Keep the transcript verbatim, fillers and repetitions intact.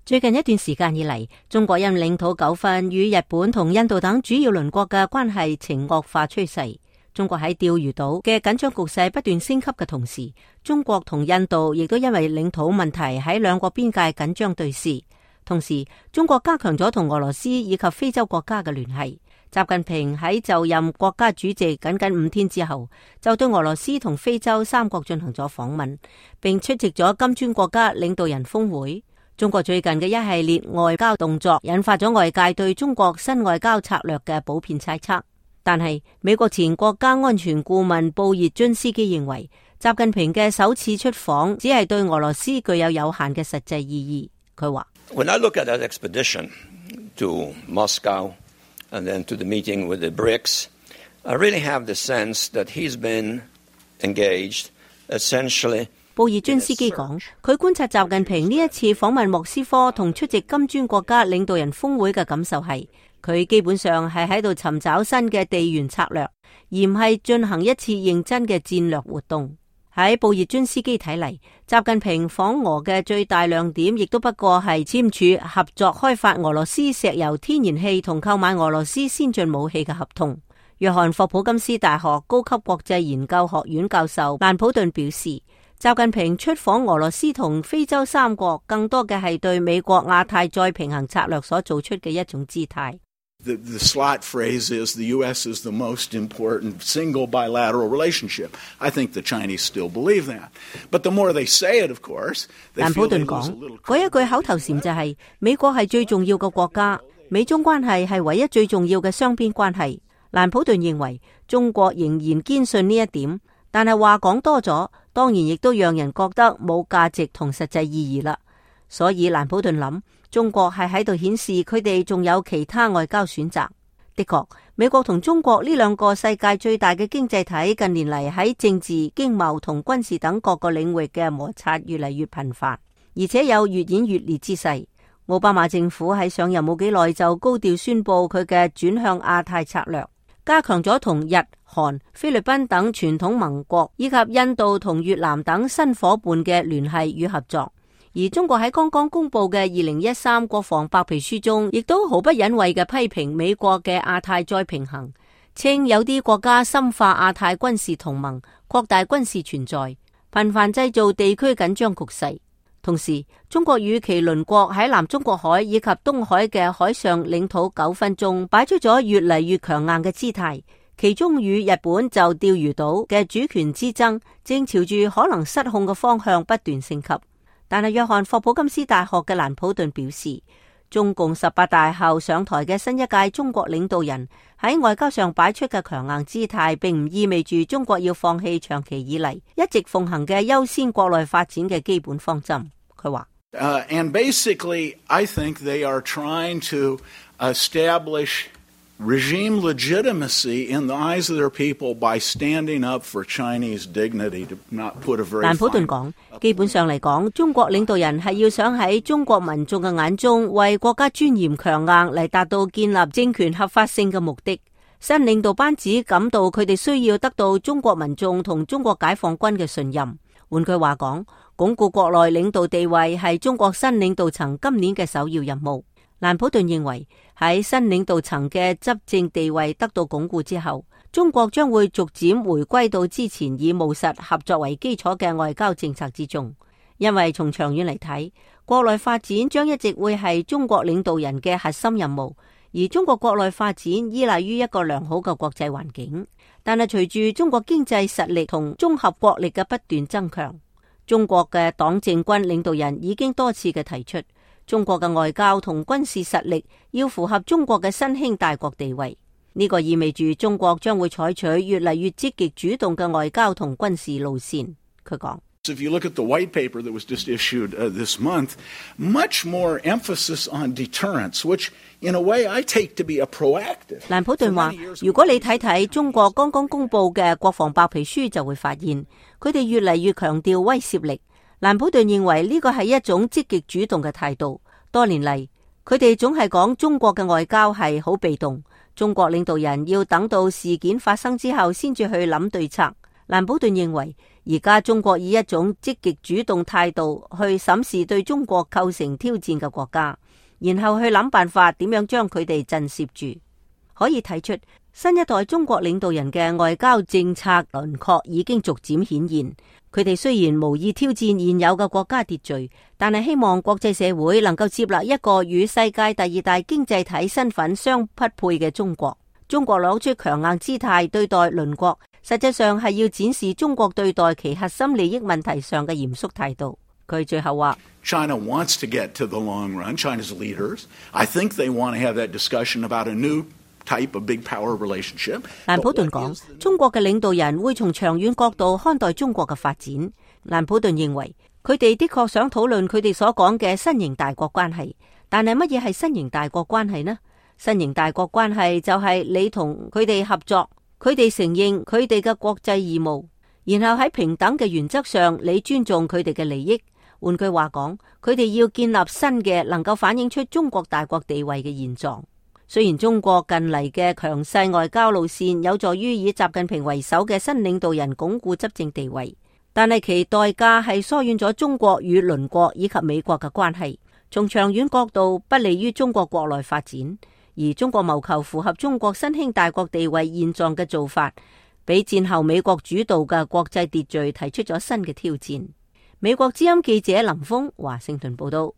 最近一段時間以嚟，中國因領土糾紛與日本同印度等主要鄰國嘅關係呈惡化趨勢。中國喺釣魚島嘅緊張局勢不斷升級嘅同時，中國同印度亦都因為領土問題喺兩國邊界緊張對峙。同時，中國加強咗同俄羅斯以及非洲國家嘅聯繫。習近平喺就任國家主席僅僅五天之後，就對俄羅斯同非洲三國進行咗訪問，並出席咗金磚國家領導人峰會。中國最近嘅一系列外交動作引發咗外界對中國新外交策略嘅普遍猜測。但係美國前國家安全顧問布熱津斯基認為，習近平嘅首次出訪只係對俄羅斯具有有限嘅實際意義。佢話：When I look at that expedition to Moscow and then to the meeting with the BRICS, I really have the sense that he's been engaged essentially。布熱津斯基講，佢觀察習近平呢一次訪問莫斯科同出席金磚國家領導人峰會嘅感受係，佢基本上係喺度尋找新嘅地緣策略，而唔係進行一次認真嘅戰略活動。喺布熱津斯基睇嚟，習近平訪俄嘅最大亮點亦都不過係簽署合作開發俄羅斯石油天然氣同購買俄羅斯先進武器嘅合同。約翰霍普金斯大學高級國際研究學院教授蘭普頓表示，習近平出訪俄羅斯同非洲三國，更多嘅係對美國亞太再平衡策略所做出嘅一種姿態。The, the slot phrase is the U S is the most important single bilateral relationship. I think the Chinese still believe that. But the more they say it, of course, they feel they lose a little. 嗰一句口頭禪就係、是、美國係最重要嘅國家，美中關係係唯一最重要嘅雙邊關係。蘭普頓認為中國仍然堅信呢一點，但係話講多咗，當然亦都讓人覺得冇價值同實際意義啦。所以蘭普頓諗，中國係喺度顯示佢哋仲有其他外交選擇。的確，美國同中國呢兩個世界最大嘅經濟體近年嚟喺政治、經貿同軍事等各個領域嘅摩擦越嚟越頻繁，而且有越演越烈之勢。奧巴馬政府喺上任冇幾耐就高調宣布佢嘅轉向亞太策略，加強咗同日、韓、菲律賓等傳統盟國以及印度同越南等新夥伴嘅聯繫與合作。而中國喺剛剛公布嘅二零一三國防白皮書中，亦都毫不隱諱嘅批評美國嘅亞太再平衡，稱有啲國家深化亞太軍事同盟，擴大軍事存在，頻繁製造地區緊張局勢。同時，中國與其鄰國喺南中國海以及東海嘅海上領土糾紛中，擺出咗越嚟越強硬嘅姿態。其中與日本就釣魚島嘅主權之爭，正朝住可能失控嘅方向不斷升級。但係約翰霍普金斯大學嘅蘭普頓表示，中共十八大後上台嘅新一屆中國領導人喺外交上擺出嘅強硬姿態，並唔意味住中國要放棄長期以嚟一直奉行嘅優先國內發展嘅基本方針。佢話Uh, and basically, I think they are trying to establish regime legitimacy in the eyes of their people by standing up for Chinese dignity, to not put a very fine... 蘭普頓講，基本上嚟講，中國領導人係要想喺中國民眾嘅眼中為國家尊嚴強硬嚟達到建立政權合法性嘅目的。新領導班子感到佢哋需要得到中國民眾同中國解放軍嘅信任。換句話講，鞏固國內領導地位係中國新領導層今年嘅首要任務。蘭普頓認為，喺新領導層嘅執政地位得到鞏固之後，中國將會逐漸回歸到之前以務實合作為基礎嘅外交政策之中。因為從長遠嚟睇，國內發展將一直會係中國領導人嘅核心任務，而中國國內發展依賴於一個良好嘅國際環境。但係隨住中國經濟實力同綜合國力嘅不斷增強，中國嘅黨政軍領導人已經多次嘅提出，中國嘅外交同軍事實力要符合中國嘅新興大國地位。呢個意味住中國將會採取越嚟越積極主動嘅外交同軍事路線。佢講If you look at the white paper that was just issued uh, this month, much more emphasis on deterrence, which in a way I take to be a proactive. 蘭普頓話，如果你睇睇中國剛剛公布嘅國防白皮書，就會發現佢哋越嚟越強調威懾力。蘭普頓認為呢個係一種積極主動嘅態度。多年嚟，佢哋總係講中國嘅外交係好被動，中國領導人要等到事件發生之後先至去諗對策。蘭普頓認為，而家中國以一種積極主動態度去審視對中國構成挑戰嘅國家，然後去諗辦法點樣將佢哋震懾住。可以睇出新一代中國領導人嘅外交政策輪廓已經逐漸顯現。佢哋雖然無意挑戰現有嘅國家秩序，但係希望國際社會能夠接納一個與世界第二大經濟體身份相匹配嘅中國。中國攞出強硬姿態對待鄰國，實際上係要展示中國對待其核心利益問題上嘅嚴肅態度。佢最後話 China wants to get to the long run. China's leaders, I think they want to have that discussion about a new type of big power relationship. 蘭普頓講，中國嘅領導人會從長遠角度看待中國嘅發展。蘭普頓認為，佢哋的確想討論佢哋所講嘅新型大國關係，但係乜嘢係新型大國關係呢？新型大國關係就係你同佢哋合作，佢哋承認佢哋嘅國際義務，然後喺平等嘅原則上，你尊重佢哋嘅利益。換句話講，佢哋要建立新嘅能夠反映出中國大國地位嘅現狀。雖然中國近嚟嘅強勢外交路線有助於以習近平為首嘅新領導人鞏固執政地位，但係其代價係疏遠咗中國與鄰國以及美國嘅關係，從長遠角度不利於中國國內發展。而中國謀求符合中國新興大國地位現狀嘅做法，俾戰後美國主導嘅國際秩序提出咗新嘅挑戰。美國之音記者林峰華盛頓報道。